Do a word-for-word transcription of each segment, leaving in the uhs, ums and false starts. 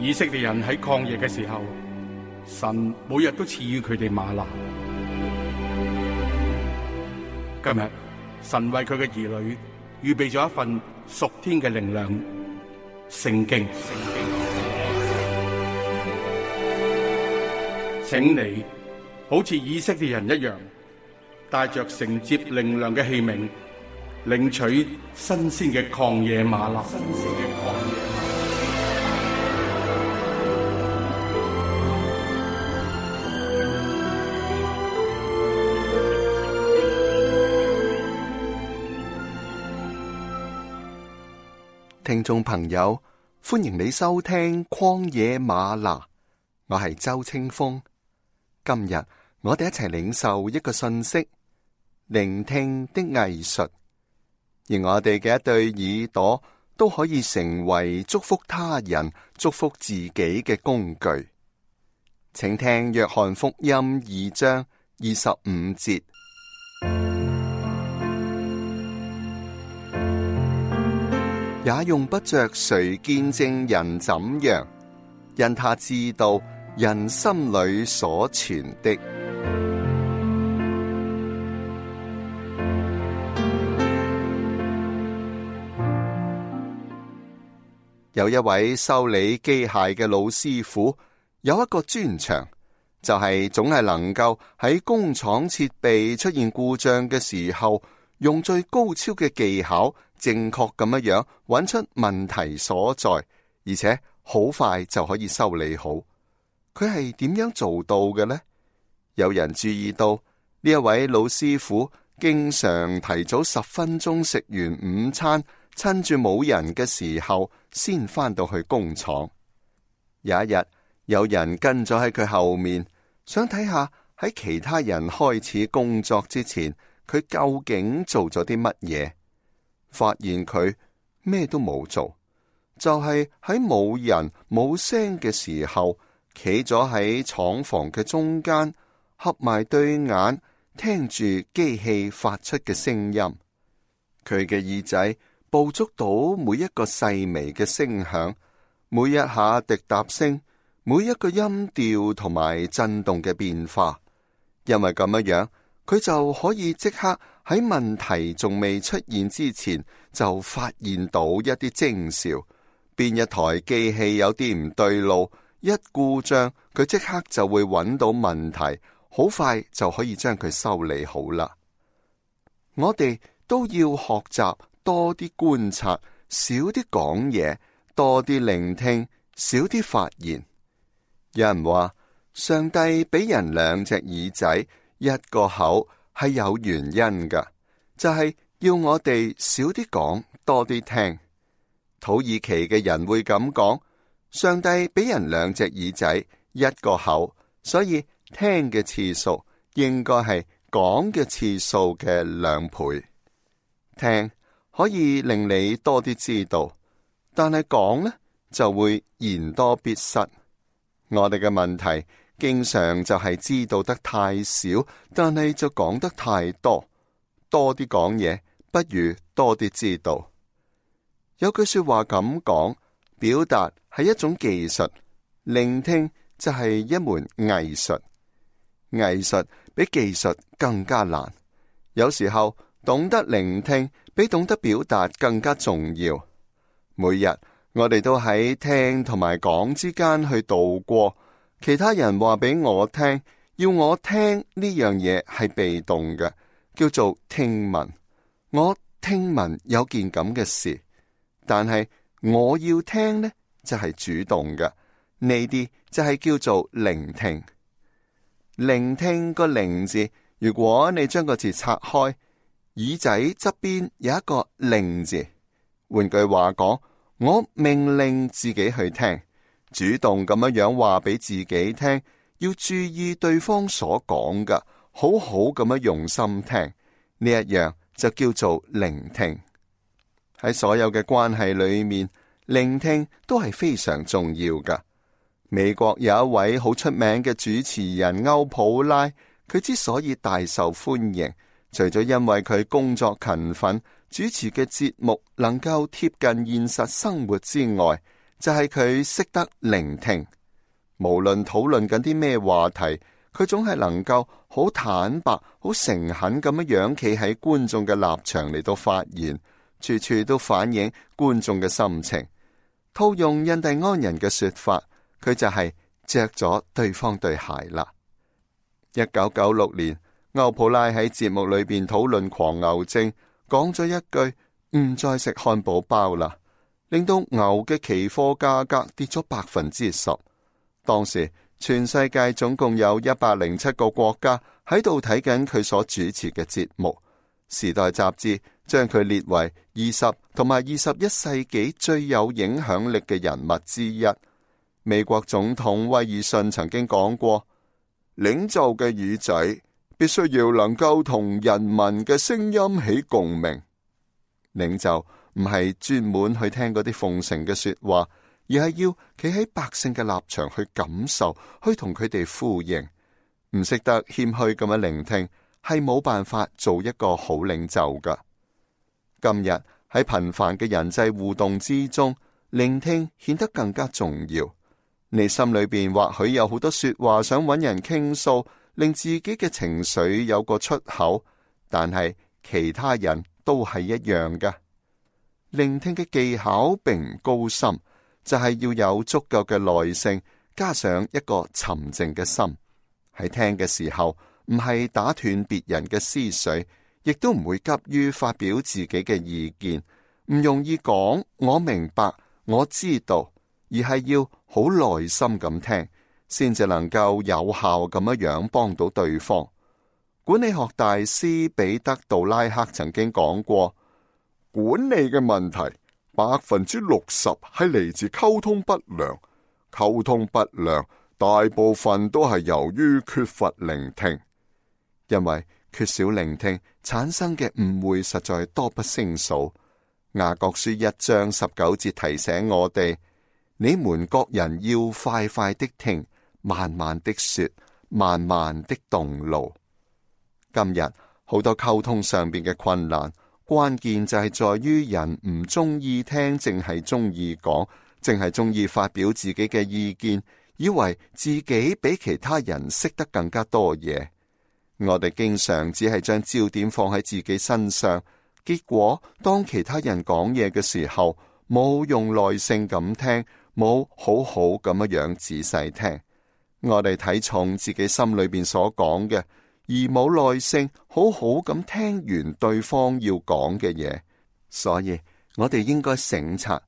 以色列人喺曠野嘅時候，神每日都賜予佢哋嗎哪。今日神為佢嘅兒女預備咗一份屬天嘅靈糧——聖經。請你好似以色列人一樣，帶着承接靈糧嘅器皿，領取新鮮嘅曠野嗎哪。新鮮嘅曠野。聽眾朋友，歡迎你收聽曠野嗎哪，我係周清風。今日我哋一齊領受一個信息：聆聽的藝術。而我哋嘅一對耳朵都可以成為祝福他人、祝福自己嘅工具。請聽約翰福音二章二十五節。也用不着誰見證人怎樣，因他知道人心裏所存的。有一位修理機械嘅老師傅，有一個專長，就係總係能夠喺工廠設備出現故障嘅時候，用最高超嘅技巧，正確咁樣樣揾出問題所在，而且好快就可以修理好。佢係點樣做到嘅呢？有人注意到呢一位老師傅經常提早十分鐘食完午餐，趁住冇人嘅時候先返到去工廠。有一日，有人跟咗喺佢後面，想睇下喺其他人開始工作之前，佢究竟做咗啲乜嘢？發現佢咩都冇做，就係喺冇人冇聲嘅時候，企咗喺廠房嘅中間，合埋對眼，聽住機器發出嘅聲音。佢嘅耳仔捕捉到每一個細微嘅聲響，每一下滴答聲，每一個音調同埋震動嘅變化。因為咁樣樣，佢就可以即刻喺問題仲未出現之前，就發現到一啲徵兆。邊一台機器有啲唔對路，一故障，佢即刻就會揾到問題，好快就可以將佢修理好啦。我哋都要學習多啲觀察，少啲講嘢，多啲聆聽，少啲發言。有人話，上帝俾人兩隻耳仔，一個口，係有原因噶，就係要我哋少啲講，多啲聽。土耳其嘅人會咁講，上帝俾人兩隻耳仔，一個口，所以聽嘅次數應該係講嘅次數嘅兩倍。聽可以令你多啲知道，但係講呢就會言多必失。我哋嘅問題經常就係知道得太少，但係就講得太多。多啲講嘢，不如多啲知道。有句說話咁講，表達係一種技術，聆聽就係一門藝術。藝術比技術更加難。有時候懂得聆聽比懂得表達更加重要。每日我哋都喺聽同埋講之間去度過。其他人話俾我聽，要我聽呢樣嘢係被動嘅，叫做聽聞。我聽聞有件咁嘅事，但係我要聽呢就係主動嘅。呢啲就係叫做聆聽。聆聽個聆字，如果你將個字拆開，耳仔側邊有一個令字。換句話講，我命令自己去聽。主動咁樣樣話俾自己聽，要注意對方所講嘅，好好咁樣用心聽，呢一樣就叫做聆聽。喺所有嘅關係裏面，聆聽都係非常重要㗎。美國有一位好出名嘅主持人歐普拉，佢之所以大受歡迎，除咗因為佢工作勤奮，主持嘅節目能夠貼近現實生活之外，就係佢識得聆聽。無論討論緊啲咩話題，佢總係能夠好坦白、好誠懇咁樣樣企喺觀眾嘅立場嚟到發言，處處都反映觀眾嘅心情。套用印第安人嘅說法，佢就係着咗對方對鞋啦。一九九六年，歐普拉喺節目裏邊討論狂牛症，講咗一句唔再食漢堡包啦，令到牛嘅期貨價格跌咗百分之十。當時全世界總共有一百零七個國家喺度睇緊佢所主持嘅節目。時代雜誌將佢列為二十同埋二十一世紀最有影響力嘅人物之一。美國總統威爾遜曾經講過，領袖嘅耳仔必須要能夠同人民嘅聲音起共鳴。領袖唔係專門去聽嗰啲奉承嘅說話，而係要企喺百姓嘅立場去感受，去同佢哋呼應。唔識得謙虛咁樣聆聽，係冇辦法做一個好領袖噶。今日喺頻繁嘅人際互動之中，聆聽顯得更加重要。你心裏邊或許有好多說話想揾人傾訴，令自己嘅情緒有個出口，但係其他人都係一樣噶。聆聽嘅技巧並唔高深，就係要有足夠嘅耐性，加上一個沉靜嘅心。喺聽嘅時候，唔係打斷別人嘅思緒，亦都唔會急於發表自己嘅意見，唔容易講我明白，我知道，而係要好耐心咁聽，先至能夠有效咁樣樣幫到對方。管理學大師彼得杜拉克曾經講過，管理嘅問題百分之六十係嚟自溝通不良，溝通不良大部分都係由於缺乏聆聽，因為缺少聆聽產生嘅誤會實在多不勝數。雅各書一章十九節提醒我哋，你們各人要快快的聽，慢慢的說，慢慢的動怒。今日好多溝通上邊嘅困難，關鍵就係在於人唔中意聽，淨係中意講，淨係中意發表自己嘅意見，以為自己比其他人識得更加多嘢。我哋經常只係將焦點放喺自己身上，結果當其他人講嘢嘅時候，冇用耐性咁聽，冇好好咁樣樣仔細聽。我哋睇重自己心裏邊所講嘅，而冇耐性好好咁聽完對方要講嘅嘢。所以我哋應該省察，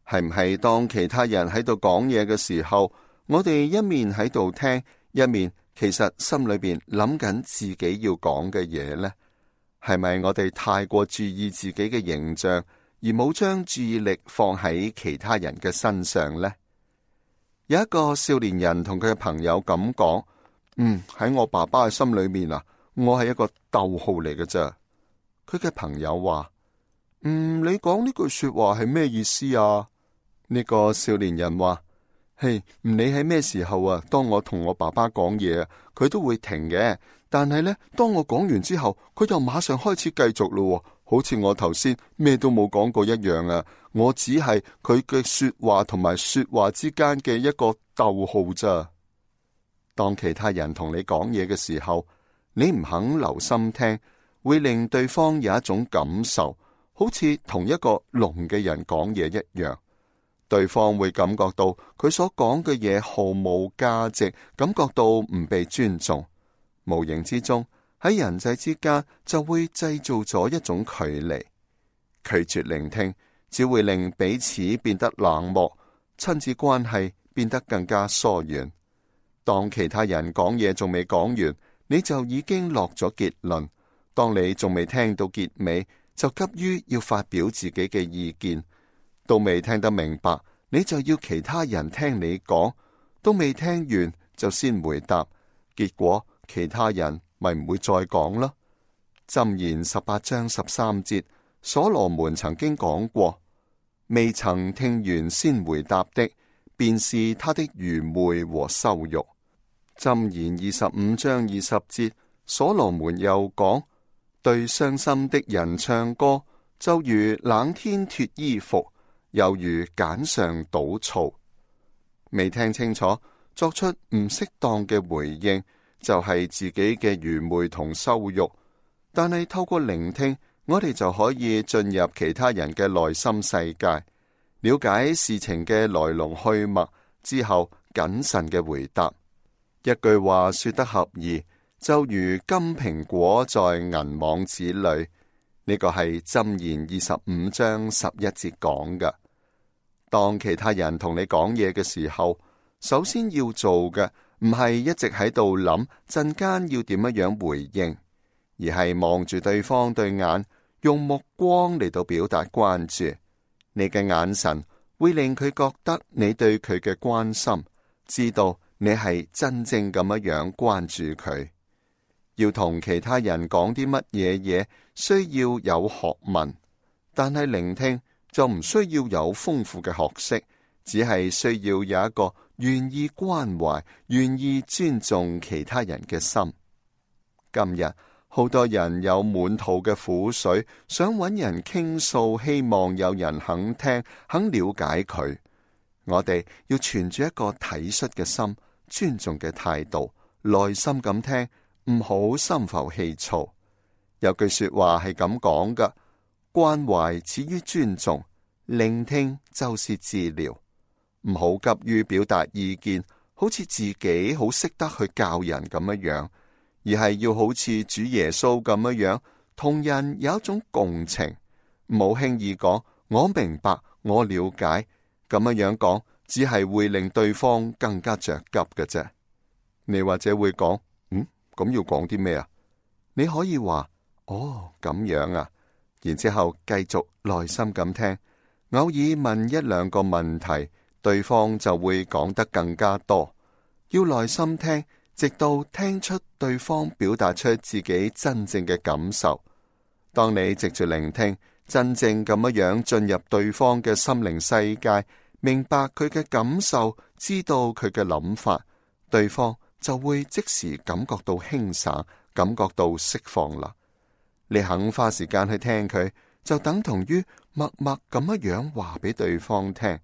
係唔係當其他人喺度講嘢嘅時候，我哋一面喺度聽，一面其實心裏邊諗緊自己要講嘅嘢呢？係咪我哋太過注意自己嘅形象，而冇將注意力放喺其他人嘅身上呢？有一個少年人同佢嘅朋友咁講，嗯，喺我爸爸嘅心裏面啊，我係一個逗號嚟嘅啫。佢嘅朋友話，嗯，你講呢句說話係咩意思啊？呢個少年人話，嘿，唔理喺咩時候啊，當我同我爸爸講嘢啊，佢都會停嘅。但係呢，當我講完之後，佢就馬上開始繼續咯，好似我頭先咩都冇講過一樣啊！我只係佢嘅說話同埋說話之間嘅一個逗號咋。當其他人同你講嘢嘅時候，你唔肯留心聽，會令對方有一種感受，好似同一個聾嘅人講嘢一樣。對方會感覺到佢所講嘅嘢毫無價值，感覺到唔被尊重。無形之中喺人際之間就會製造咗一種距離。拒絕聆聽只會令彼此變得冷漠，親子關係變得更加疏遠。當其他人講嘢仲未講完，你就已經落咗結論。當你仲未聽到結尾，就急於要發表自己嘅意見。都未聽得明白，你就要其他人聽你講。都未聽完就先回答，結果其他人咪唔會再講咯。箴言十八章十三節，所羅門曾經講過，未曾聽完先回答的，便是他的愚昧和羞辱。箴言二十五章二十節，所羅門又講，對傷心的人唱歌，就如冷天脫衣服，猶如鹼上倒醋。未聽清楚，作出唔適當嘅回應，就係自己嘅愚昧同羞辱。但係透過聆聽，我哋就可以進入其他人嘅內心世界，了解事情嘅來龍去脈之後，謹慎嘅回答。一句話說得合宜，就如金蘋果在銀網子裏。呢個係箴言二十五章十一節講嘅。當其他人同你講嘢嘅時候，首先要做嘅唔係一直喺度諗陣間要點樣樣回應，而係望住對方對眼，用目光嚟到表達關注。你嘅眼神會令佢覺得你對佢嘅關心，知道你係真正咁樣樣關注佢。要同其他人講啲乜嘢嘢，需要有學問，但係聆聽就唔需要有豐富嘅學識，只係需要有一個願意關懷、願意尊重其他人嘅心。今日好多人有滿肚嘅苦水，想揾人傾訴，希望有人肯聽、肯了解佢。我哋要存住一個體恤嘅心、尊重嘅態度，耐心咁聽，唔好心浮氣躁。有句說話係咁講㗎：關懷始於尊重，聆聽就是治療。唔好急於表達意見，好似自己好識得去教人咁樣樣，而係要好似主耶穌咁樣樣，同人有一種共情，唔好輕易講我明白、我了解，咁樣樣講只係會令對方更加着急嘅啫。你或者會講，嗯，咁要講啲咩啊？你可以話，哦，咁樣啊，然之後繼續耐心咁聽，偶爾問一兩個問題，對方就會講得更加多。要耐心聽，直到聽出對方表達出自己真正嘅感受。當你藉住聆聽，真正咁樣樣進入對方嘅心靈世界，明白佢嘅感受，知道佢嘅諗法，對方就會即時感覺到輕省，感覺到釋放啦。你肯花時間去聽佢，就等同於默默咁樣樣話俾對方聽，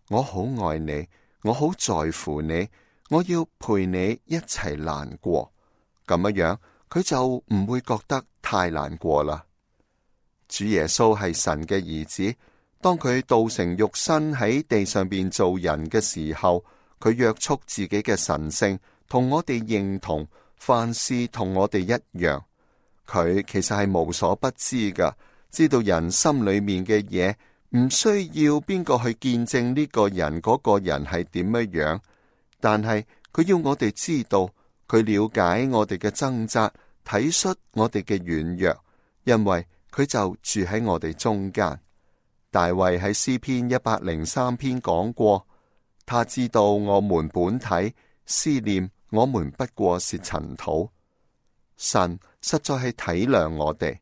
我好愛你，我好在乎你，我要陪你一齊難過。咁樣樣，佢就唔會覺得太難過啦。主耶穌係神嘅兒子，當佢道成肉身喺地上邊做人嘅時候，佢約束自己嘅神性，同我哋認同，凡事同我哋一樣。佢其實係無所不知噶，知道人心裏面嘅嘢，唔需要邊個去見證呢個人嗰個人係點樣樣，但係佢要我哋知道，佢了解我哋嘅掙扎，體恤我哋嘅軟弱，因為佢就住喺我哋中間。大衛喺詩篇一百零三篇講過，他知道我們本體，思念我們不過是塵土。神實在係體諒我哋，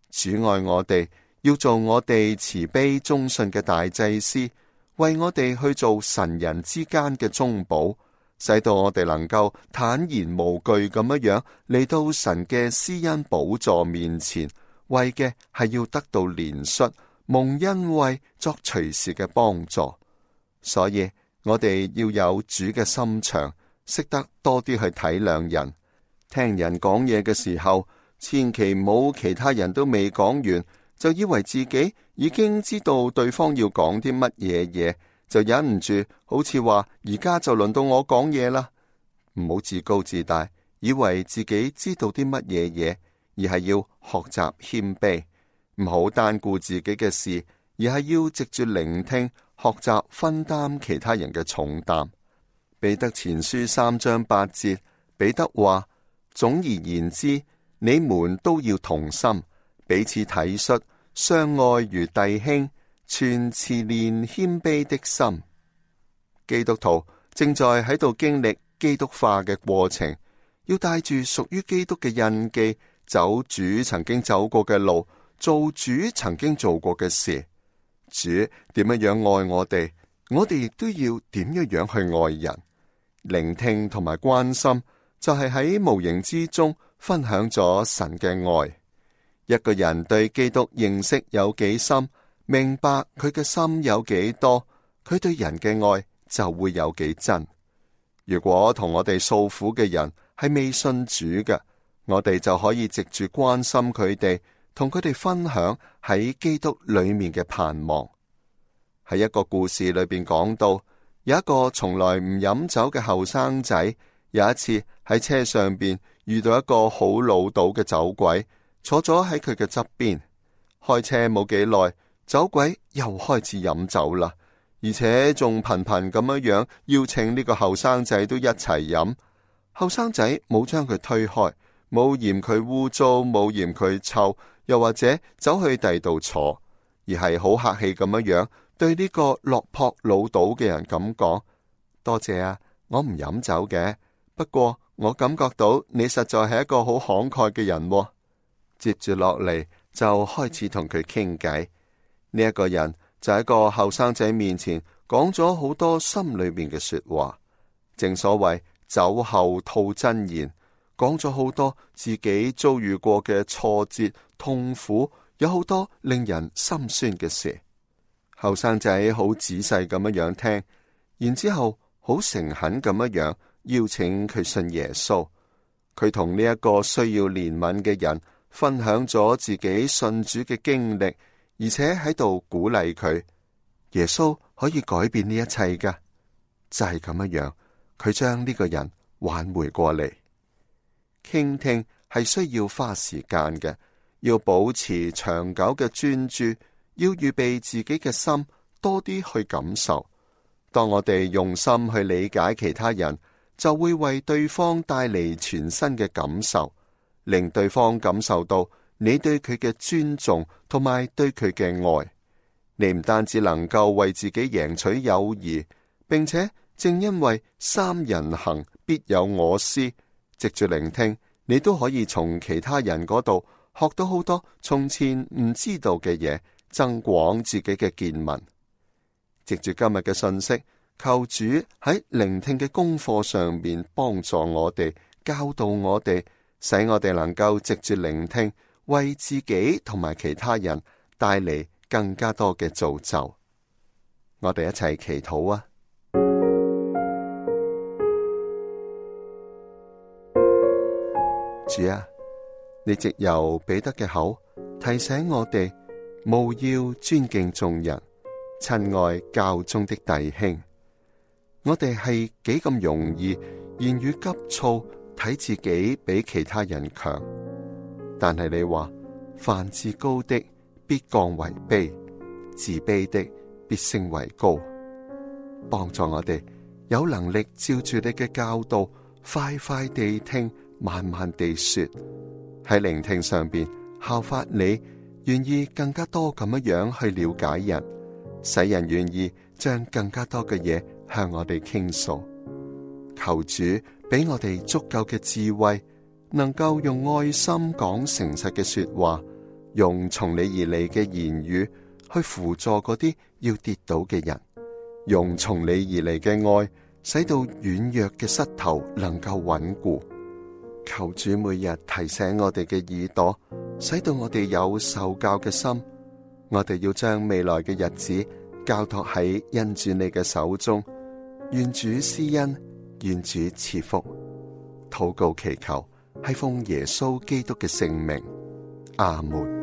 主愛我哋，要做我哋慈悲忠信嘅大祭司，為我哋去做神人之間嘅中保，使到我哋能夠坦然無懼咁樣樣嚟到神嘅施恩寶座面前，為嘅係要得到憐恤，蒙恩惠，作隨時嘅幫助。所以我哋要有主嘅心腸，識得多啲去體諒人。聽人講嘢嘅時候，千祈唔好其他人都未講完，就以為自己已經知道對方要講啲乜嘢嘢，就忍唔住好似話而家就輪到我講嘢啦。唔好自高自大，以為自己知道啲乜嘢嘢，而係要學習謙卑。唔好單顧自己嘅事，而係要藉住聆聽，學習分擔其他人嘅重擔。彼得前書三章八節，彼得話：總而言之，你們都要同心，彼此體恤，相愛如弟兄，存慈憐謙卑的心。基督徒正在喺度經歷基督化嘅過程，要帶住屬於基督嘅印記，走主曾經走過嘅路，做主曾經做過嘅事。主點樣樣愛我哋，我哋亦都要點樣樣去愛人。聆聽同埋關心，就係喺無形之中分享咗神嘅愛。一個人對基督認識有幾深，明白佢嘅心有幾多，佢對人嘅愛就會有幾真。如果同我哋訴苦嘅人係未信主嘅，我哋就可以藉住關心佢哋，同佢哋分享喺基督裏面嘅盼望。喺一個故事裏邊講到，有一個從來唔飲酒嘅後生仔，有一次喺車上邊遇到一個好潦倒嘅酒鬼，坐咗喺佢嘅側邊。開車冇幾耐，酒鬼又開始飲酒啦，而且仲頻頻咁樣樣邀請呢個後生仔都一齊飲。後生仔冇將佢推開，冇嫌佢污糟，冇嫌佢臭，又或者走去第二度坐，而係好客氣咁樣樣對呢個落魄潦倒嘅人咁講：多謝啊，我唔飲酒嘅，不過我感覺到你實在係一個好慷慨嘅人喎。接住落嚟就開始同佢傾偈。呢一個人就喺個後生仔面前講咗好多心裏面嘅說話，正所謂酒後吐真言，講咗好多自己遭遇過嘅挫折、痛苦，有好多令人心酸嘅事。後生仔好仔細咁樣樣聽，然之後好誠懇咁樣樣邀請佢信耶穌。佢同呢一個需要憐憫嘅人分享咗自己信主嘅經歷，而且喺度鼓勵佢，耶穌可以改變呢一切㗎。就係咁樣樣，佢將呢個人挽回過嚟。傾聽係需要花時間嘅，要保持長久嘅專注，要預備自己嘅心多啲去感受。當我哋用心去理解其他人，就會為對方帶嚟全新嘅感受，令對方感受到你對佢嘅尊重同埋對佢嘅愛。你唔單止能夠為自己贏取友誼，並且正因為三人行必有我師，藉住聆聽，你都可以從其他人嗰度學到好多從前唔知道嘅嘢，增廣自己嘅見聞。藉住今日嘅信息，求主喺聆聽嘅功課上面幫助我哋，教導我哋，使我哋能夠藉住聆聽，為自己同埋其他人帶嚟更加多嘅造就。我哋一齊祈禱啊！主啊，你藉由彼得嘅口提醒我哋，務要尊敬眾人，親愛教中的弟兄。我哋係幾咁容易言語急躁，睇自己比其他人強，但係你話，凡自高的必降為卑，自卑的必升為高。幫助我哋有能力照住你嘅教導，快快地聽，慢慢地說，喺聆聽上邊效法你，願意更加多咁樣樣去了解人，使人願意將更加多嘅嘢向我哋傾訴。求主俾我哋足夠嘅智慧，能夠用愛心講誠實嘅說話，用從你而嚟嘅言語去輔助嗰啲要跌倒嘅人，用從你而嚟嘅愛使到軟弱嘅膝頭能夠穩固。求主每日提醒我哋嘅耳朵，使到我哋有受教嘅心。我哋要將未來嘅日子交託喺恩主你嘅手中。願主施恩，願主賜福。禱告祈求係奉耶穌基督嘅聖名，阿門。